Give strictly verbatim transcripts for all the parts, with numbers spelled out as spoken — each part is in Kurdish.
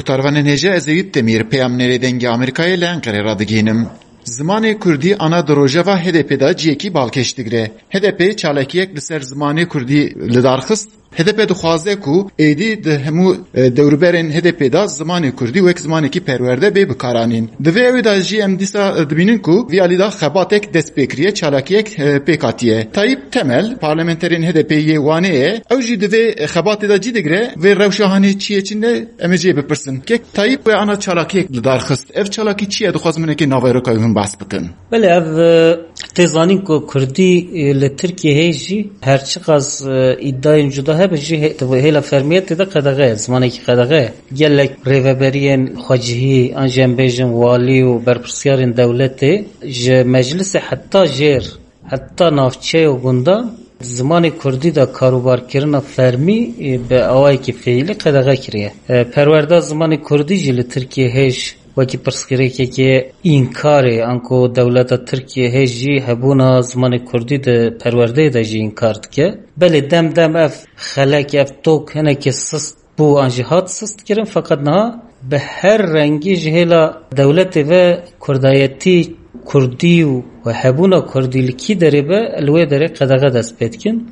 Tarvanên hêja, ez Eyûp Demîr, peyamnêrê Dengê Amerîkayê li Enqerê radigihînim. Zimanê kurdî ana di rojeva H D P de ciyekî balkêş digire. H D P çalakiyek li ser zimanê kurdî li dar xist. H D P dixwaze ku êdî di hemû, e, dewrberên H D P de zimanê kurdî wek zimanekî perwerde bê bikaranîn. Di vê ewê de jî em dîsa, e, dibînin ku vî alî de xebatek dest pê kiriye, çalakiyek, e, pêk hatiye. Tayyip Temel, parlamenterên H D P yê Wanê ye. Ew jî di vê xebatê de cî digire, vê rewşa hanê çi ye çi ne, em ê jê bipirsin. Kek Tayyip we ana çalakiyek li dar xist. Ev çalakî çi ye? Dixwazim hinekê naveroka wî hûn behs bikin. Belê, ev, e, tê zanîn ku kurdî, e, li Tirkiyê heye jî her çiqas, e, îdayên cuda hebe jî hê-, hêla fermiyetê de qedexe ye, zimanekî qedexe ye. Gelek rêveberiyên xwecihî, an jî em bêjin walî û berpirsiyarên dewletê ji meclisê heta jêr, heta navçe û gundan zimanê kurdî de karûbarkirina fermî, e, bi awayekî fiîlî qedexe kiriye. E, perwerda zimanê kurdî jî li Tirkiyê hêj wekî pirsgirêkekê înkarê, anku dewleta Tirkiyê hêj jî hebûna zimanê kurdî di perwerdeyê de jî înkar dike. Belê dem dem ev xelek, ev tok hinekê sist bû an jî hat sist kirin, feqet niha bi her rengî ji hêla dewletê ve kurdayetî, kurdî û hebûna kurdî li kî derê be, li wê derê qedexe dest pê dikin.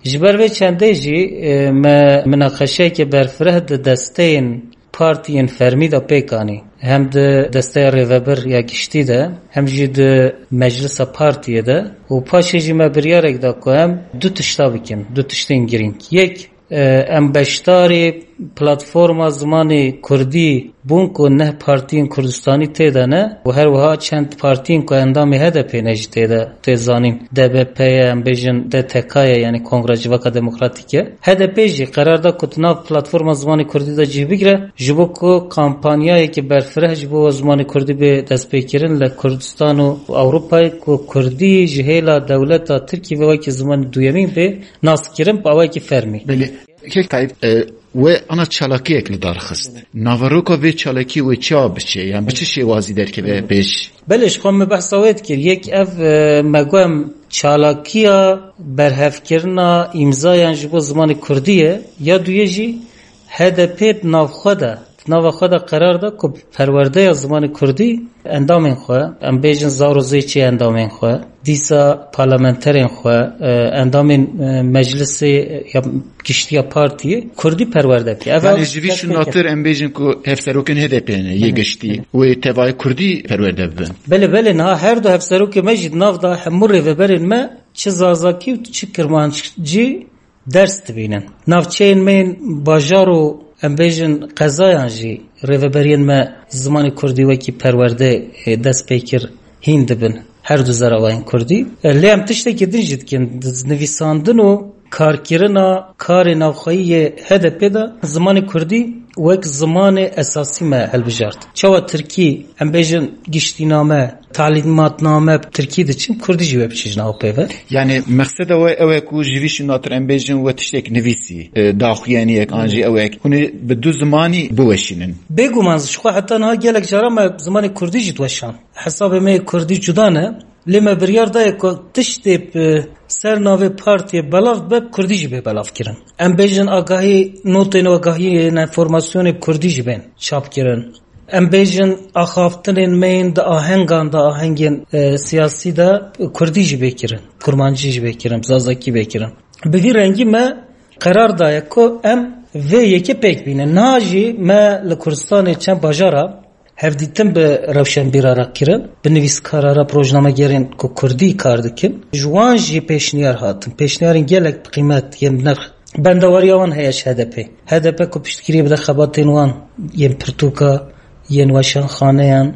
Ji ber vê çendê jî, e, me minaqeşeyeke berfireh di desteyên partiyên fermî de pêk anî. Hem di desteya rêvebir ya giştî de, hem jî di meclisa partiyê de. Û paşê jî me biryarek da ku em du tişta bikin, du tiştên girîng. Yek, e, em beşdarî platforma zimanê kurdî bûn ku neh partiyên Kurdistanî tê de ne û her wiha çend partiyên ku endamê H D P ne jî tê de, tê zanîn D B P ye, em bêjin D T K ye, yanî Kongra Civaka Demokratîk e. H D P jî qerar da ku di nav platforma zimanê kurdî de cih bigire, ji bo ku kampanyayeke berfireh ji bo zimanê kurdî bê destpêkirin li Kurdistan û Ewropayê, ku kurdî ji hêla dewleta Tirkiyê ve wekî zimanê duyemîn bê naskirin bi awayekî fermî. Belê. Kek Tayyip, e, we ana çalakiyek li dar xist. Naveroka vê çalakiyê wê çawa biçe? Yan bi çi şêwazî derkeve pêş? Belê, ji xwe me behsa wê dikir. Yek ev, e, me got em çalakiya berhevkirina îmzayan ji bo zimanê kurdî ye. Ya duyê jî H D P di navxwe de, di nava xwe de qerar da ku perwerdeya zimanê kurdî endamên xwe, em bêjin zar û zêçê endamên xwe, dîsa parlamenterên xwe, e, endamên, e, meclisê, e, ya giştî ya partiyê kurdî perwerde bike. Ev Yanî ev ji vî dest pê şûnatir kir. Em bêjin ku hevserokên H D P ne yê Hı hı. giştî wê tevayê kurdî perwerde bibin. Belê, belê, niha her du hevserokê me jî di nav de hemû rêveberên me çi zazakî û çi kirmancî ders dibînin. Navçeyên me yên bajar û em bêjin qezayan jî rêveberiyên me zimanê kurdî wekî perwerde, e, dest pê kir hîn dibin her du zeravayên kurdî. E, lê em tiştekî din jî dikin. Nivîsandin û karkirina karê navxweyî yê H D P de zimanê kurdî wek zimanê esasî me hilbijart. Çawa tirkî, em bêjin giştîname, talîmatname bi tirkî diçin, kurdî jî wê biçe ji nav pê ve. Yanî mexseda we ew e ku ji vî şûnatir em bêjin we tiştek nivîsî, e, daxuyaniyek an jî ewek hûn ê bi du zimanî biweşînin. Bêguman ji xwe heta niha gelek caran me zimanê kurdî jî diweşan. Hesabê me yê kurdî cuda ne. Lê me biryar daye ku tiştê bi ser navê partiyê belav be, bi kurdî jî bê belav kirin. Em bêjin agahî, notên agahiyên, enformasyonê bi kurdî jî bên çap kirin. Em bêjin axaftinên me yên di ahengan de, ahengên, e, siyasî de kurdî jî bê kirin, kurmancî jî bê kirin, zazakî bê kirin. Bi vî rengî me qerar daye ku em vê yekê pêk bînin. Niha jî me li Kurdistanê çend bajara hevdîtin bi rewşenbîra re kirin, bi nivîskara re, bi rojnamegerên ku kurdî kar dikin. Ji wan jî pêşniyar hatin. Pêşniyarên gelek bi qîmet yên bi nirx. Bendewariya wan heye ji H D P. H D P ku piştgiriyê bide xebatên wan yên pirtûka, yên weşanxaneyan,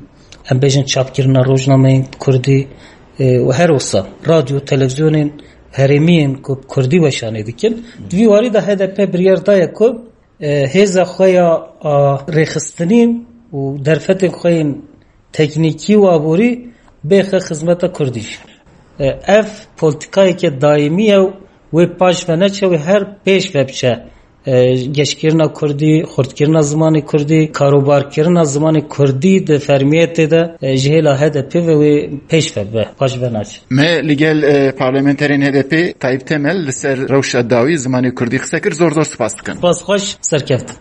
em bêjin çapkirina rojnameyên kurdî, e, û her wisa radyo, televîzyonên herêmî yên ku kurdî weşanê dikin. Di vî warî de H D P biryar daye ku e, hêza xwe ya, a, rêxistinî û derfetên xwe yên teknîkî û aborî bêxe xizmeta kurdî jî. E, ev polîtîkayeke daîmî ye û wê paş ve neçe, wê her pêş ve biçe. E, geşkirina kurdî, xurtkirina zimanê kurdî, karobarkirina zimanê kurdî di fermiyetê de, e, ji hêla H D P ve wê pêş ve bibe, paş ve naçe. Me li gel, e, parlamenterên H D P Tayyip Temel li ser rewşa dawî zimanê kurdî qise kir. Zor zor spas dikim. Spas xweş, serkeftin.